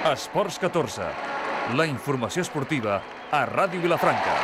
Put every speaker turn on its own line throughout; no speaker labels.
Esports 14, la informació esportiva a Ràdio Vilafranca.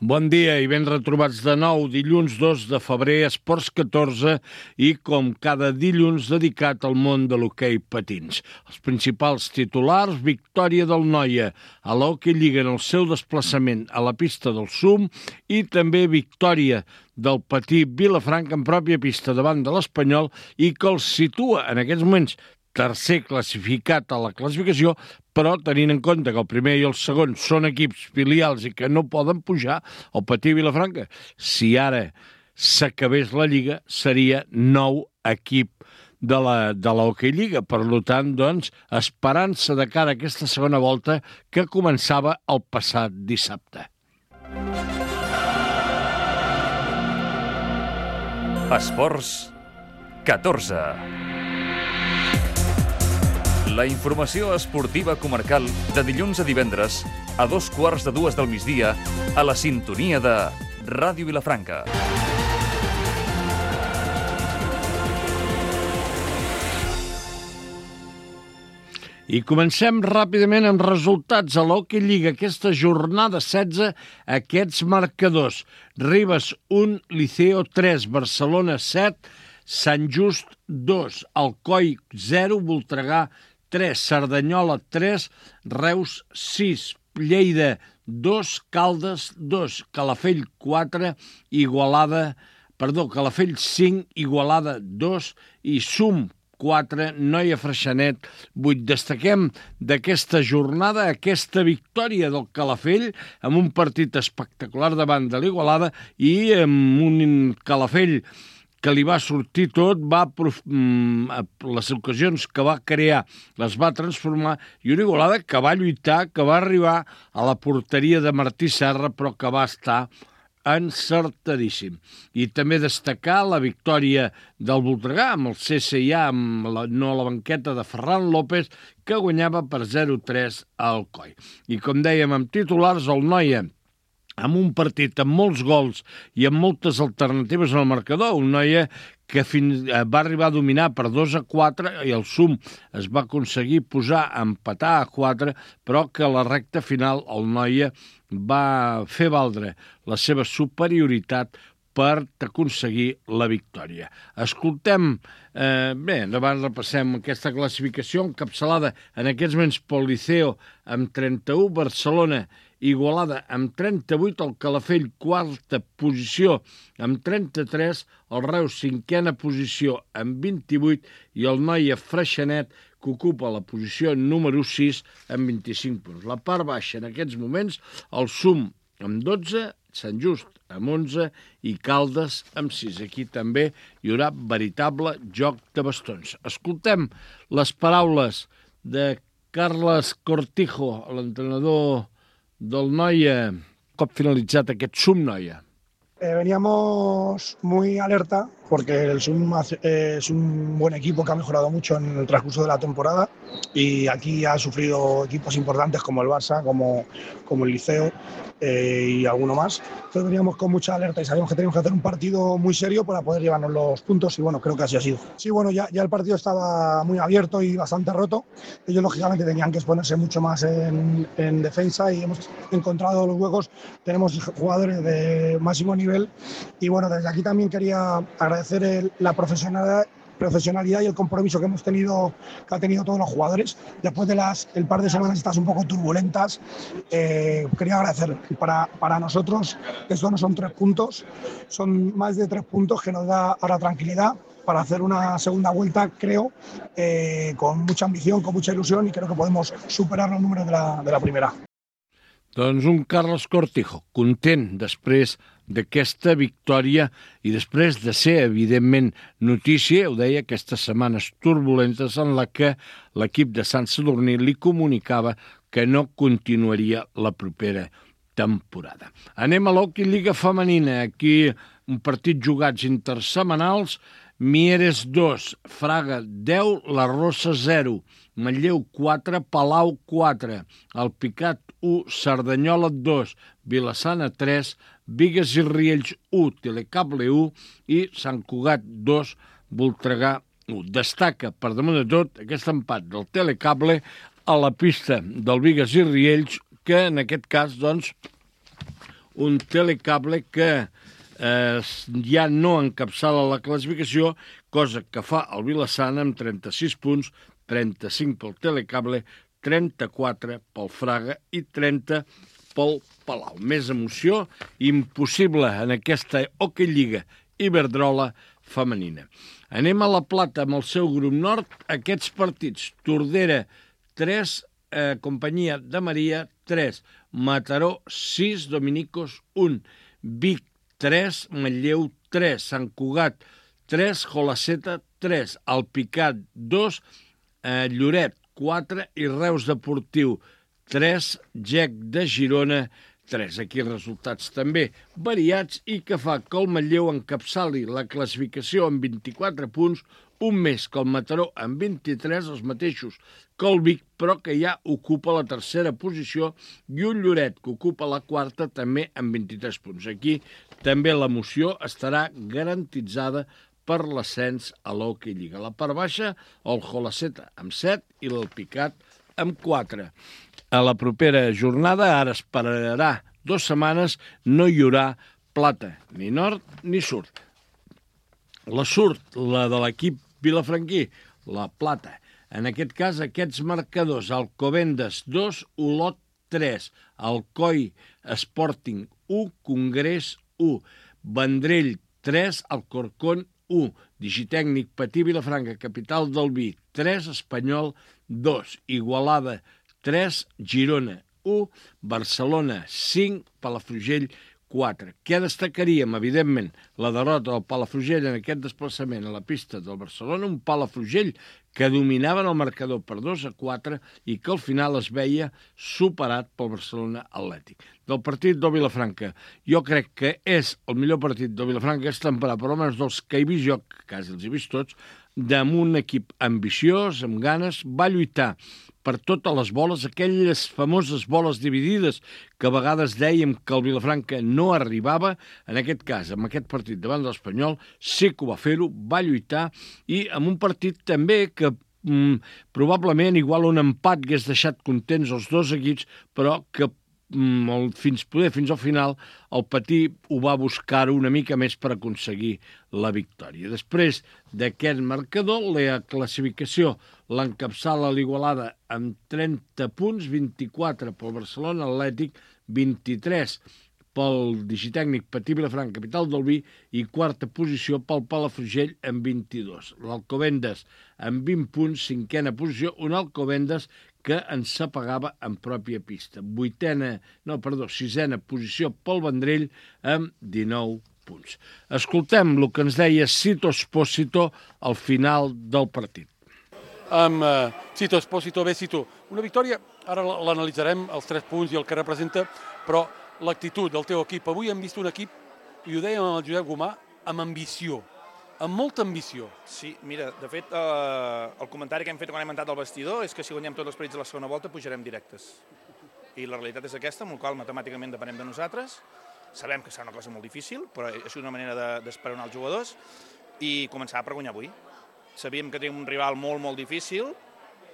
Bon dia i ben retrobats de nou, dilluns 2 de febrer, Esports 14 i com cada dilluns dedicat al món de l'hoquei patins. Els principals titulars: victòria del Noia a l'Hockey Lliga en el seu desplaçament a la pista del SUM i també victòria del patí Vilafranca en pròpia pista davant de l'Espanyol i que el situa en aquests moments tercer classificat a la classificació, però tenint en compte que el primer i el segon són equips filials i que no poden pujar, el patí Vilafranca, si ara s'acabés la Lliga, seria nou equip de l'Hockey Lliga. Per tant, doncs, esperança de cara a aquesta segona volta que començava el passat dissabte.
Esports 14. La informació esportiva comarcal de dilluns a divendres a 2:15 del migdia a la sintonia de Ràdio Vilafranca.
I comencem ràpidament amb resultats a l'Hockey Lliga. Aquesta jornada 16, aquests marcadors: Ribes 1, Liceo 3, Barcelona 7, Sant Just 2, Alcoi 0, Voltregà 3, Cerdanyola 3, Reus 6, Lleida 2, Caldes 2, Calafell 4, Calafell 5, Igualada 2 i SUM 4, Noia Freixenet 8. Destaquem d'aquesta jornada aquesta victòria del Calafell amb un partit espectacular davant de l'Igualada i amb un Calafell que li va sortir tot, les ocasions que va crear les va transformar, i una Igualada que va lluitar, que va arribar a la porteria de Martí Serra, però que va estar encertadíssim. I també destacar la victòria del Voltregà amb el CSIA, no a la banqueta de Ferran López, que guanyava per 0-3 a Alcoi. I com dèiem, amb titulars, el Noia, amb un partit amb molts gols i amb moltes alternatives en el marcador, un Noia que va arribar a dominar per 2-4 i el SUM es va aconseguir posar a empatar a 4, però que a la recta final el Noia va fer valdre la seva superioritat per aconseguir la victòria. Escoltem, davant repassem aquesta classificació encapçalada en aquests moments pel Liceo amb 31, Barcelona Igualada amb 38, el Calafell quarta posició amb 33, el Reus cinquena posició amb 28 i el Noia Freixenet que ocupa la posició número 6 amb 25 punts. La part baixa en aquests moments, el SUM amb 12, Sant Just amb 11 i Caldes amb 6. Aquí també hi haurà veritable joc de bastons. Escoltem les paraules de Carles Cortijo, l'entrenador del Noia, cop finalitzat aquest SUM Noia.
Veníamos muy alerta porque el SUM es un buen equipo que ha mejorado mucho en el transcurso de la temporada y aquí ha sufrido equipos importantes como el Barça, como el Liceo y alguno más. Entonces veníamos con mucha alerta y sabíamos que teníamos que hacer un partido muy serio para poder llevarnos los puntos y bueno, creo que así ha sido. Sí, bueno, ya el partido estaba muy abierto y bastante roto. Ellos lógicamente tenían que exponerse mucho más en defensa y hemos encontrado los huecos. Tenemos jugadores de máximo nivel y bueno, desde aquí también quería agradecer la profesionalidad y el compromiso que ha tenido todos los jugadores. Después de el par de semanas estas un poco turbulentas, quería agradecer. Para nosotros esto no son 3 puntos, son más de 3 puntos que nos da ahora tranquilidad para hacer una segunda vuelta, creo, con mucha ambición, con mucha ilusión y creo que podemos superar los números de la primera.
Doncs un Carles Cortijo, content després d'aquesta victòria i després de ser, evidentment, notícia, ho deia, aquestes setmanes turbulentes en la que l'equip de Sant Sadurní li comunicava que no continuaria la propera temporada. Anem a l'Hockey Lliga Femenina. Aquí un partit jugats intersetmanals. Mieres 2, Fraga 10, La Rosa 0, Manlleu 4, Palau 4, Alpicat 1, Cerdanyola 2, Vilassana 3, Bigues i Riells 1, Telecable 1 i Sant Cugat 2, Voltregà Destaca, per damunt de tot, aquest empat del Telecable a la pista del Bigues i Riells, que en aquest cas, doncs, un Telecable que ja no encapçala la classificació, cosa que fa el Vila-sana amb 36 punts, 35 pel Telecable, 34 pel Fraga i 30 pel Palau. Més emoció impossible en aquesta Hockey Lliga Iberdrola femenina. Anem a la Plata amb el seu grup nord. Aquests partits: Tordera 3, Companyia de Maria 3, Mataró 6, Dominicos 1, Vic 3, Manlleu 3, Sant Cugat 3, Jolaceta 3, Alpicat 2, Lloret 4 i Reus Deportiu 3, Gec de Girona 3. Aquí resultats també variats i que fa que el Manlleu encapçali la classificació amb 24 punts, un més que el Mataró amb 23, els mateixos que el Vic, però que ja ocupa la tercera posició, i un Lloret que ocupa la quarta també amb 23 punts. Aquí també l'emoció estarà garantitzada per l'ascens a l'Hockey Lliga. La part baixa, el Jolaceta amb 7 i l'Alpicat amb 4. A la propera jornada, ara esperarà 2 setmanes, no hi haurà plata, ni nord ni sud. La sud, la de l'equip vilafranquí, la plata. En aquest cas, aquests marcadors: Alcobendas 2, Olot 3, Alcoi Sporting 1, Congrés 1, Vendrell 3, Alcorcón 1, Digitècnic Patí Vilafranca, Capital del Vi 3, Espanyol 2, Igualada 3, Girona 1, Barcelona 5, Palafrugell 4. Què destacaríem? Evidentment, la derrota del Palafrugell en aquest desplaçament a la pista del Barcelona, un Palafrugell que dominaven el marcador per 2-4 i que al final es veia superat pel Barcelona Atlètic. Del partit del Vilafranca, jo crec que és el millor partit del Vilafranca aquesta temporada, per almenys dels que he vist jo, que quasi els he vist tots, amb un equip ambiciós, amb ganes, va lluitar per totes les boles, aquelles famoses boles dividides que a vegades dèiem que el Vilafranca no arribava. En aquest cas, amb aquest partit davant de l'Espanyol, sí que ho va fer-ho, va lluitar, i amb un partit també que probablement igual un empat hagués deixat contents els dos equips, però que fins al final el Patí ho va buscar una mica més per aconseguir la victòria. Després d'aquest marcador, la classificació l'encapçala l'Igualada amb 30 punts, 24 pel Barcelona Atlètic, 23 pel Digitècnic Patí Vilafranca, Capital del Vi, i quarta posició pel Palafrugell amb 22. L'Alcobendas amb 20 punts, cinquena posició, un Alcobendas que ens s'apagava en pròpia pista. Sisena posició pel Vendrell amb 19 punts. Escoltem el que ens deia Sito Espósito al final del partit.
Amb Sito Espósito, bé, Sito, una victòria, ara l'analitzarem, els 3 punts i el que representa, però l'actitud del teu equip. Avui hem vist un equip, i ho dèiem amb el Josep Gomà, amb ambició, amb molta ambició.
Sí, mira, de fet, el comentari que hem fet quan hem entrat al vestidor és que si guanyem tots els partits de la segona volta pujarem directes. I la realitat és aquesta, amb la qual matemàticament depenem de nosaltres. Sabem que serà una cosa molt difícil, però és una manera d'esperonar els jugadors i començar per guanyar avui. Sabíem que tenim un rival molt, molt difícil,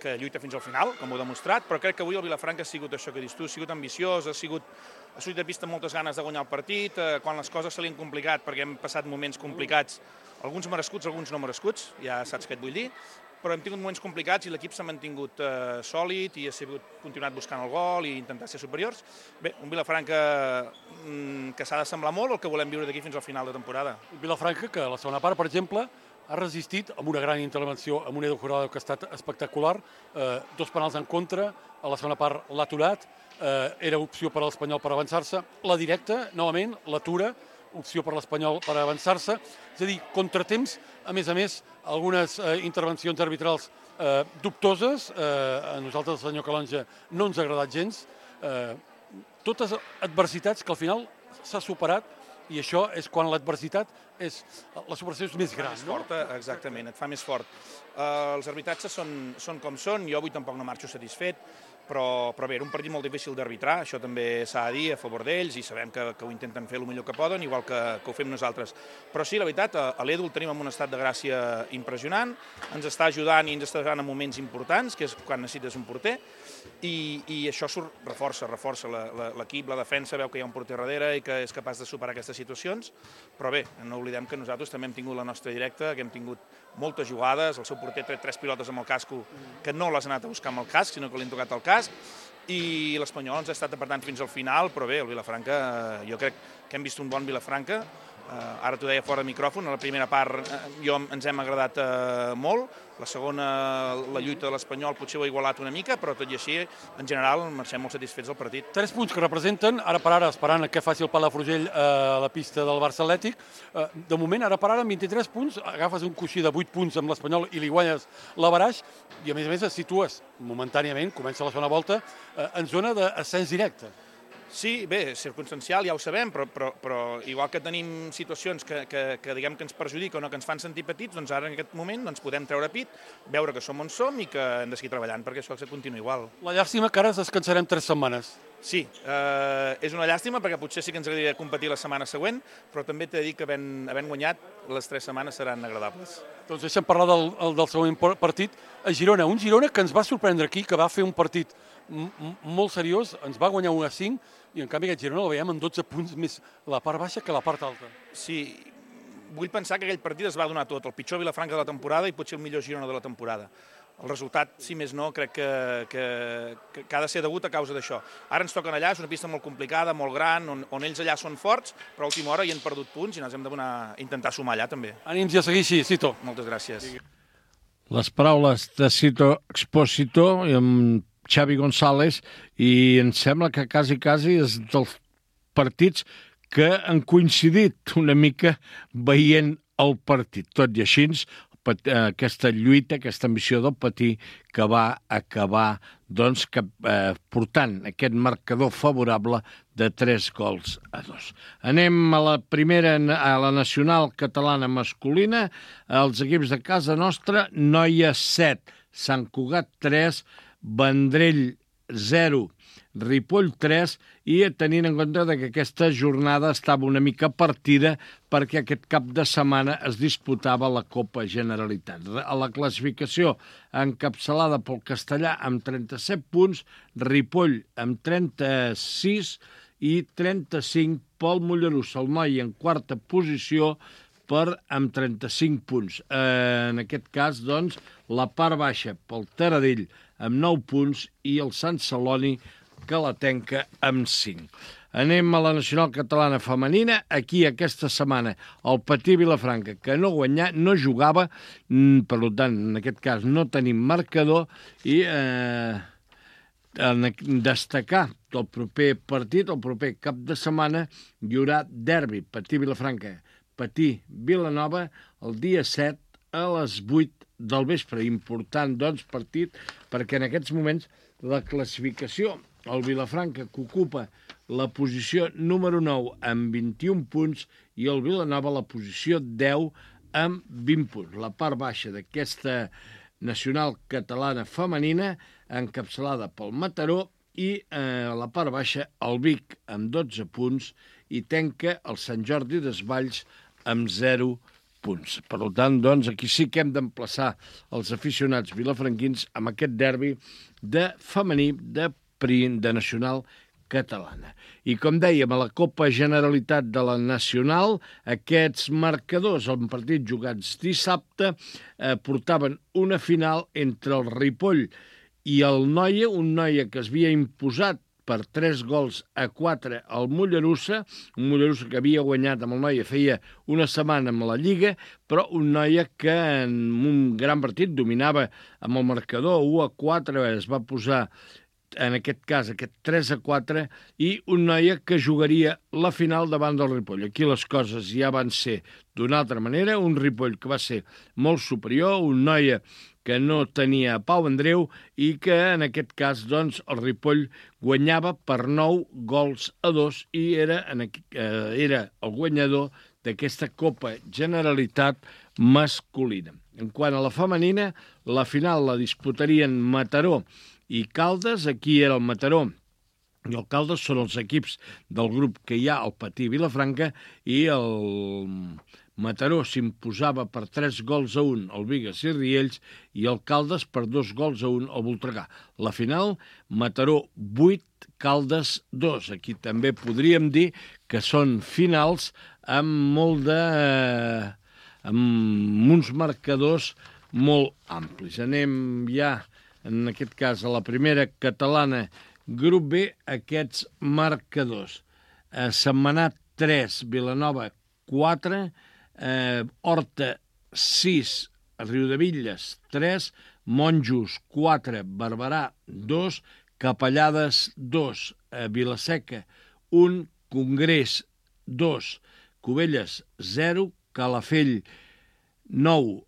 que lluita fins al final, com ho he demostrat, però crec que avui el Vilafranca ha sigut això que dius tu, ha sigut ambiciós, ha sortit de pista amb moltes ganes de guanyar el partit, quan les coses se li han complicat, perquè hem passat moments complicats, alguns merescuts, alguns no merescuts, ja saps què et vull dir, però hem tingut moments complicats i l'equip s'ha mantingut sòlid i ha continuat buscant el gol i intentar ser superiors. Bé, un Vilafranca que s'ha d'assemblar molt al que volem viure d'aquí fins al final de temporada.
Un Vilafranca que a la segona part, per exemple, ha resistit amb una gran intervenció, amb un Edu Jurado que ha estat espectacular, 2 penals en contra, a la segona part l'ha aturat, era opció per a l'Espanyol per avançar-se, la directa, novament, l'atura, opció per l'Espanyol per avançar-se, és a dir, contratemps, a més, algunes intervencions arbitrals dubtoses, a nosaltres el senyor Calonge no ens ha agradat gens, totes adversitats que al final s'ha superat, i això és quan l'adversitat la superació és més gran,
no? Forta, exactament, et fa més fort. Els arbitratges són com són, jo avui tampoc no marxo satisfet. però bé, era un partit molt difícil d'arbitrar, això també s'ha de dir a favor d'ells, i sabem que ho intenten fer el millor que poden, igual que ho fem nosaltres. Però sí, la veritat, a l'Edu el tenim en un estat de gràcia impressionant, ens està ajudant i ens està ajudant en moments importants, que és quan necessites un porter, i això reforça l'equip, la defensa, veu que hi ha un porter darrere i que és capaç de superar aquestes situacions, però bé, no oblidem que nosaltres també hem tingut la nostra directa, que hem tingut moltes jugades, el seu porter ha tret 3 pilotes amb el casco que no les ha anat a buscar amb el casc, sinó que li han tocat el casc, i l'Espanyol ens ha estat apretant fins al final, però bé, el Vilafranca, jo crec que hem vist un bon Vilafranca. Ara t'ho deia fora de micròfon, a la primera part ens hem agradat molt, la segona, la lluita de l'Espanyol potser ho ha igualat una mica, però tot i així, en general, marxem molt satisfets del partit.
3 punts que representen, ara per ara, esperant que faci el Palafrugell a la pista del Barça Atlètic. De moment, ara per ara, amb 23 punts, agafes un coixí de 8 punts amb l'Espanyol i li guanyes l'averaix, i a més et situes momentàniament, comença la segona volta, en zona d'ascens directe.
Sí, bé, circumstancial, ja ho sabem, però igual que tenim situacions que diguem que ens perjudiquen o que ens fan sentir petits, doncs ara en aquest moment podem treure pit, veure que som on som i que hem de seguir treballant perquè això continua igual.
La llàstima que ara ens descansarem 3 setmanes.
Sí, és una llàstima perquè potser sí que ens agradaria competir la setmana següent, però també t'he de dir que havent guanyat, les 3 setmanes seran agradables.
Doncs deixem parlar del següent partit a Girona. Un Girona que ens va sorprendre aquí, que va fer un partit molt seriós, ens va guanyar 1-5, i en canvi aquest Girona el veiem amb 12 punts més la part baixa que la part alta.
Sí, vull pensar que aquell partit es va donar tot, el pitjor Vilafranca de la temporada i potser el millor Girona de la temporada. El resultat, si més no, crec que ha de ser degut a causa d'això. Ara ens toquen allà, és una pista molt complicada, molt gran, on ells allà són forts, però a última hora hi han perdut punts i ens hem d'intentar sumar allà també.
Ànims i a seguir així, Cito.
Moltes gràcies.
Les paraules de Cito Expósito i amb Xavi González, i em sembla que quasi és dels partits que han coincidit una mica veient el partit. Tot i així, aquesta lluita, aquesta ambició del Patí que va acabar portant aquest marcador favorable de 3-2. Anem a la primera, a la nacional catalana masculina. Els equips de casa nostra, Noia 7, Sant Cugat 3, Vendrell 0, Ripoll 3, i tenint en compte que aquesta jornada estava una mica partida perquè aquest cap de setmana es disputava la Copa Generalitat. A la classificació encapçalada pel Castellà amb 37 punts, Ripoll amb 36 i 35 pel Mollerussa. El Noi en quarta posició amb 35 punts. En aquest cas, doncs, la part baixa pel Taradell amb 9 punts i el Sant Celoni que la tenca amb 5. Anem a la nacional catalana femenina. Aquí, aquesta setmana, el Patí Vilafranca, que no jugava, per tant, en aquest cas, no tenim marcador, i destacar del proper partit, el proper cap de setmana, hi haurà derbi, Patí Vilafranca, Patí Vilanova, el dia 7 a les 8 del vespre. Important, doncs, partit, perquè en aquests moments la classificació, el Vilafranca, que ocupa la posició número 9 amb 21 punts, i el Vilanova la posició 10 amb 20 punts. La part baixa d'aquesta nacional catalana femenina, encapçalada pel Mataró, i la part baixa el Vic amb 12 punts, i tenca el Sant Jordi Desvalls amb 0 punts. Per tant, doncs, aquí sí que hem d'emplaçar els aficionats vilafranquins amb aquest derbi de femení de nacional catalana. I com dèiem, a la Copa Generalitat de la Nacional, aquests marcadors, en partits jugats dissabte, portaven una final entre el Ripoll i el Noia, un Noia que es havia imposat per 3-4 al Mollerussa, un Mollerussa que havia guanyat amb el Noia feia una setmana amb la Lliga, però un Noia que en un gran partit dominava amb el marcador 1-4, es va posar en aquest cas aquest 3-4, i un Noia que jugaria la final davant del Ripoll. Aquí les coses ja van ser d'una altra manera, un Ripoll que va ser molt superior, un Noia que no tenia Pau Andreu, i que en aquest cas, doncs, el Ripoll guanyava per 9-2 i era el guanyador d'aquesta Copa Generalitat masculina. En quant a la femenina, la final la disputarien Mataró i Caldes. Aquí era el Mataró i el Caldes, són els equips del grup que hi ha, el Patí Vilafranca, i el Mataró s'imposava per 3-1 al Bigues i Riells i el Caldes per 2-1 al Voltregà. La final, Mataró 8, Caldes 2. Aquí també podríem dir que són finals amb amb uns marcadors molt amplis. Anem ja, en aquest cas, a la primera catalana, grup B, aquests marcadors. Sentmenat 3, Vilanova 4, Horta 6, Riudebitlles 3, Monjos 4, Barberà 2, Capellades 2, Vilaseca 1, Congrés 2, Cubelles 0, Calafell 9,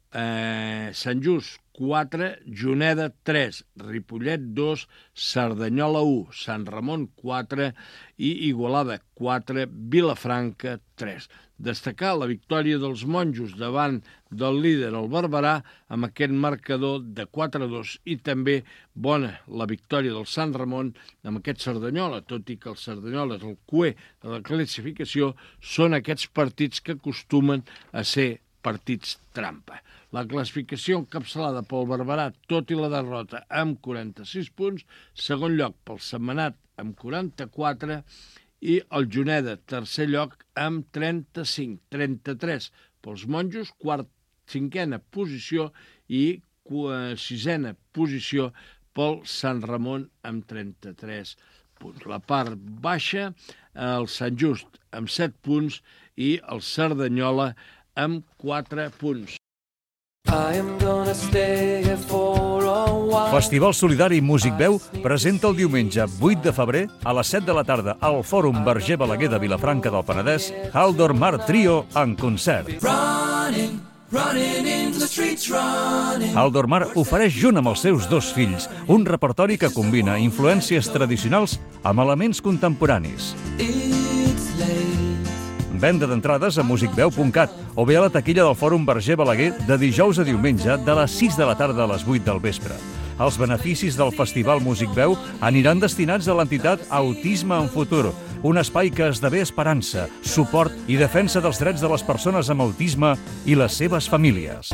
Sant Just 4, Juneda 3, Ripollet 2, Cerdanyola 1, Sant Ramon 4 i Igualada 4, Vilafranca 3. Destacar la victòria dels Monjos davant del líder, el Barberà, amb aquest marcador de 4-2 i també bona la victòria del Sant Ramon amb aquest Cerdanyola, tot i que el Cerdanyola és el cuer de la classificació, són aquests partits que acostumen a ser partits trampa. La classificació encapçalada pel Barberà, tot i la derrota, amb 46 punts, segon lloc pel Sentmenat amb 44 i el Juneda, tercer lloc, amb 35, 33 pels Monjos, cinquena posició i sisena posició pel Sant Ramon amb 33 punts. La part baixa, el Sant Just amb 7 punts i el Cerdanyola amb 4 punts.
Festival Solidari Músic Veu presenta el diumenge 8 de febrer a les 7 de la tarda al Fòrum Verger Balaguer de Vilafranca del Penedès Haldor Mar Trio en concert. Haldor Mar ofereix junt amb els seus 2 fills un repertori que combina influències tradicionals amb elements contemporanis. Venda d'entrades a musicveu.cat o bé a la taquilla del Fòrum Verger Balaguer de dijous a diumenge de les 6 de la tarda a les 8 del vespre. Els beneficis del Festival Músic Veu aniran destinats a l'entitat Autisme en Futur, un espai que esdevé esperança, suport i defensa dels drets de les persones amb autisme i les seves famílies.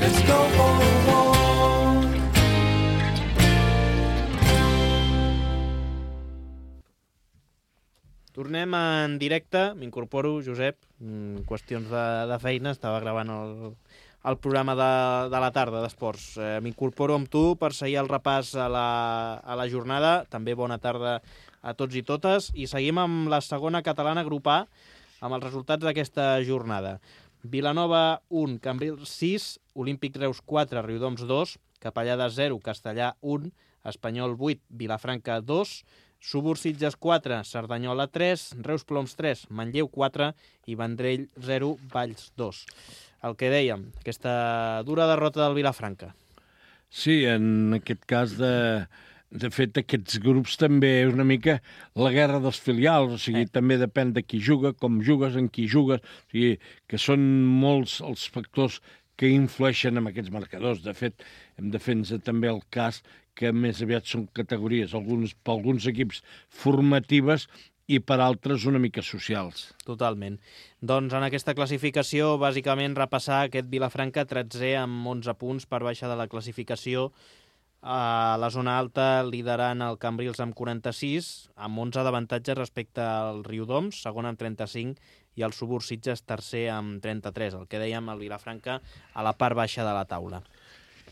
Tornem en directe, m'incorporo, Josep, qüestions de feina, estava gravant el programa de la tarda d'esports. M'incorporo amb tu per seguir el repàs a la jornada, també bona tarda a tots i totes, i seguim amb la segona catalana grup A, amb els resultats d'aquesta jornada. Vilanova 1, Cambrils 6, Olímpic Reus 4, Riudoms 2, Capellades 0, Castellà 1, Espanyol 8, Vilafranca 2, Subursitges 4, Cerdanyola 3, Reus Ploms 3, Manlleu 4 i Vendrell 0, Valls 2. El que dèiem, aquesta dura derrota del Vilafranca.
Sí, en aquest cas, de fet, aquests grups també és una mica la guerra dels filials, o sigui, també depèn de qui juga, com jugues, en qui jugues, o sigui, que són molts els factors que influeixen en aquests marcadors. De fet, hem de fer-nos també el cas que més aviat són categories, per alguns equips formatives i per altres una mica socials.
Totalment. Doncs en aquesta classificació, bàsicament repassar aquest Vilafranca 13è amb 11 punts per baixa de la classificació. A la zona alta liderant el Cambrils amb 46, amb 11 d'avantatge respecte al Riudoms, segon amb 35, i el Subursitges tercer amb 33, el que dèiem, el Vilafranca a la part baixa de la taula.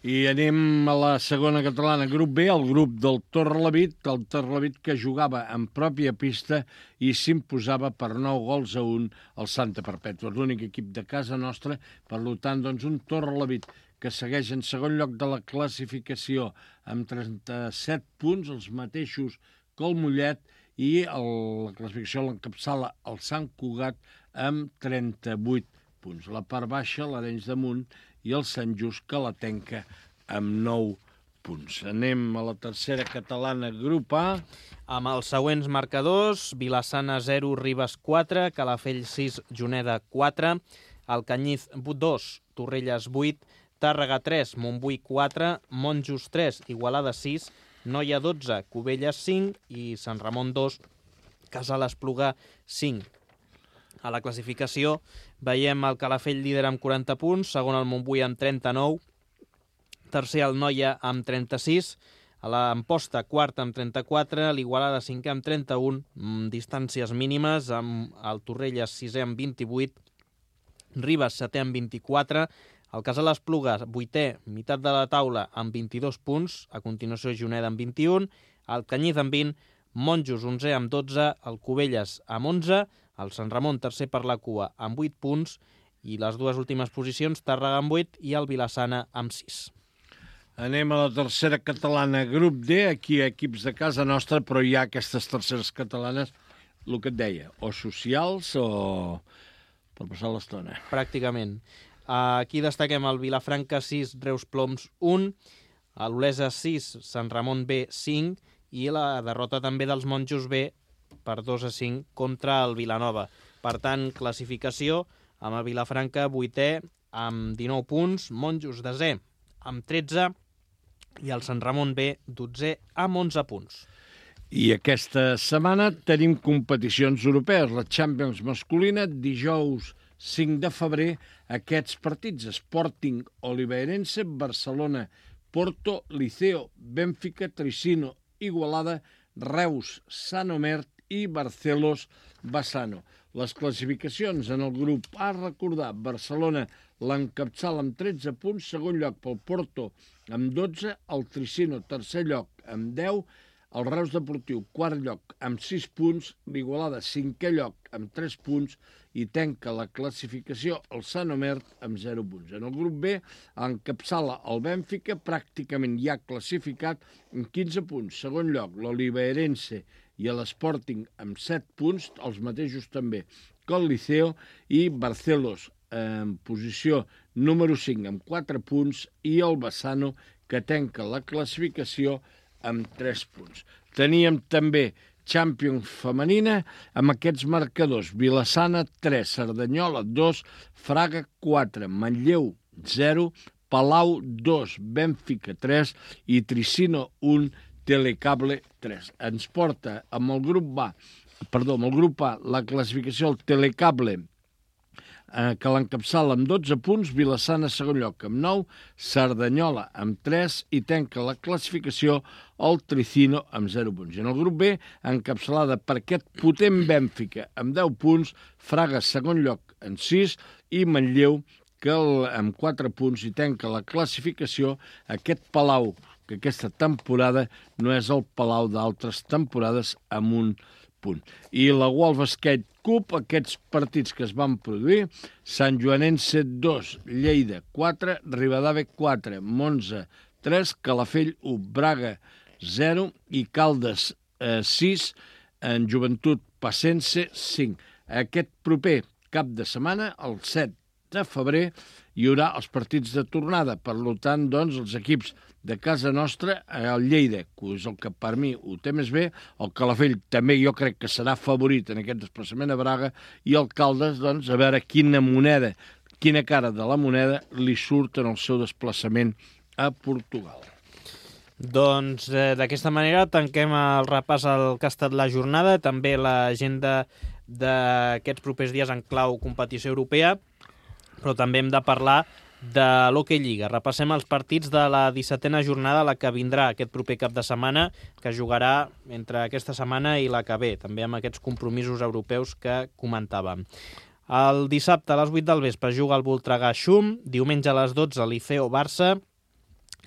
I anem a la segona catalana, grup B, el grup del Torrelavit que jugava en pròpia pista i s'imposava per 9-1 al Santa Perpètua, l'únic equip de casa nostra, per tant, doncs, un Torrelavit que segueix en segon lloc de la classificació amb 37 punts, els mateixos que el Mollet, i la classificació l'encapçala el Sant Cugat amb 38 punts. La part baixa, l'Arenys de Munt, i el Sant Just que la tenca amb 9 punts. Anem a la tercera catalana, grup A.
Amb els següents marcadors, Vilassana 0, Ribes 4, Calafell 6, Juneda 4, Alcanyiz 2, Torrelles 8, Tàrrega 3, Montbui 4, Monjos 3, Igualada 6, Noia 12, Cubelles 5 i Sant Ramon 2, Casal Espluga 5. A la classificació veiem el Calafell líder amb 40 punts, segon el Montbui amb 39, tercer el Noia amb 36, a l'Amposta quart amb 34, l'Igualada 5è amb 31, distàncies mínimes, amb el Torrelles 6è amb 28, Ribes 7è amb 24, el Casal Espluga 8è, meitat de la taula amb 22 punts, a continuació Juneda amb 21, el Canyís amb 20, Monjos 11è amb 12, el Cubelles amb 11, el Sant Ramon tercer per la cua amb 8 punts i les dues últimes posicions, Tàrrega amb 8 i el Vilassana amb 6.
Anem a la tercera catalana, grup D, aquí equips de casa nostra, però hi ha aquestes terceres catalanes, el que et deia, o socials o per passar l'estona.
Pràcticament. Aquí destaquem el Vilafranca 6, Reus Ploms 1, l'Olesa 6, Sant Ramon B 5 i la derrota també dels Monjos B per 2-5 contra el Vilanova. Per tant, classificació amb el Vilafranca 8è amb 19 punts, Monjos 10è amb 13 i el Sant Ramon B 12è amb 11 punts.
I aquesta setmana tenim competicions europees. La Champions masculina, dijous 5 de febrer, aquests partits: Sporting Oliveirense, Barcelona, Porto, Liceo, Benfica, Tricino, Igualada, Reus, Sant Omer i Barcelos, Bassano. Les classificacions en el grup A, recordar, Barcelona l'encapçala amb 13 punts, segon lloc pel Porto amb 12, el Tricino tercer lloc amb 10, el Reus Deportiu quart lloc amb 6 punts, l'Igualada cinquè lloc amb 3 punts i tanca la classificació el Sant Omer amb 0 punts. En el grup B encapçala el Benfica, pràcticament ja classificat amb 15 punts, segon lloc l'Oliveirense i l'Sporting amb 7 punts, els mateixos també que el Liceo, i Barcelos en posició número 5 amb 4 punts i el Bassano, que tanca la classificació amb 3 punts. Teníem també Champions femenina amb aquests marcadors: Vilassana 3, Cerdanyola 2, Fraga 4, Manlleu 0, Palau 2, Benfica 3 i Tricino 1, Telecable 3. Ens porta amb el grup A, la classificació del Telecable, que l'encapçala amb 12 punts, Vilassana segon lloc amb 9, Cerdanyola amb 3 i tanca la classificació el Tricino amb 0 punts. I en el grup B, encapçalada per aquest potent Benfica amb 10 punts, Fraga segon lloc amb 6 i Manlleu amb 4 punts i tanca la classificació aquest Palau, que aquesta temporada no és el Palau d'altres temporades, amb 1 punt. I la World Basket Cup, aquests partits que es van produir: Sant Joanense 2, Lleida 4, Ribadave 4, Monza 3, Calafell 1, Braga 0 i Caldes 6, en Joventut Passense 5. Aquest proper cap de setmana, el 7 de febrer, hi haurà els partits de tornada. Per tant, doncs, els equips de casa nostra, el Lleida, que és el que per mi ho té més bé, el Calafell també jo crec que serà favorit en aquest desplaçament a Braga, i el Caldes, doncs, a veure quina cara de la moneda li surt en el seu desplaçament a Portugal.
Doncs d'aquesta manera tanquem el repàs al que ha estat la jornada, també l'agenda d'aquests propers dies en clau competició europea, però també hem de parlar de l'Hockey Lliga. Repassem els partits de la 17a jornada, la que vindrà aquest proper cap de setmana, que jugarà entre aquesta setmana i la que ve, també amb aquests compromisos europeus que comentàvem. El dissabte a les 8 del vespre juga el Voltregà-Xum, diumenge a les 12 Liceo-Barça,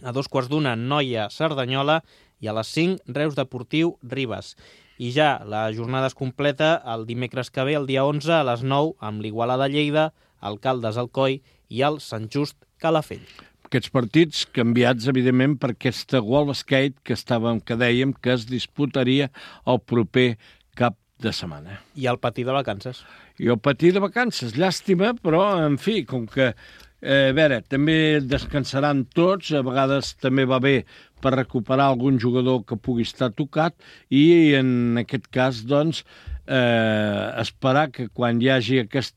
a 2:15 Noia-Cerdanyola i a les 5 Reus Deportiu-Ribes. I ja la jornada es completa el dimecres que ve, el dia 11, a les 9, amb l'Igualada-Lleida, el Caldes-Alcoi i el Sant Just Calafell.
Aquests partits canviats, evidentment, per aquesta World Basket que dèiem que es disputaria el proper cap de setmana.
I el patí de vacances.
I el patí de vacances, llàstima, però, en fi, com que, a veure, també descansaran tots, a vegades també va bé per recuperar algun jugador que pugui estar tocat, i en aquest cas, doncs, esperar que quan hi hagi aquest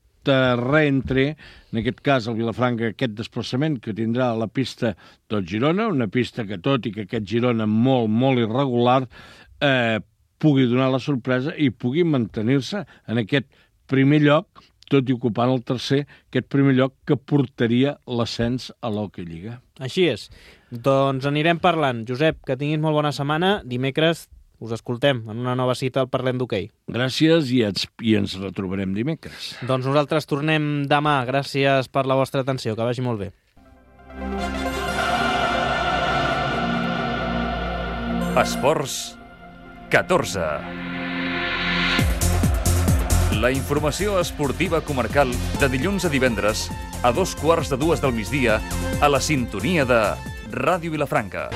reentre, en aquest cas el Vilafranca, aquest desplaçament que tindrà a la pista del Girona, una pista que tot i que aquest Girona molt, molt irregular, pugui donar la sorpresa i pugui mantenir-se en aquest primer lloc, tot i ocupant el tercer, aquest primer lloc que portaria l'ascens a l'Hockey Lliga.
Així és. Doncs anirem parlant. Josep, que tinguis molt bona setmana. Dimecres us escoltem en una nova cita al Parlem d'Hoquei.
Gràcies i ens retrobarem dimecres.
Doncs nosaltres tornem demà. Gràcies per la vostra atenció. Que vagi molt bé.
Esports 14. La informació esportiva comarcal de dilluns a divendres a 2:15 del migdia a la sintonia de Ràdio Vilafranca.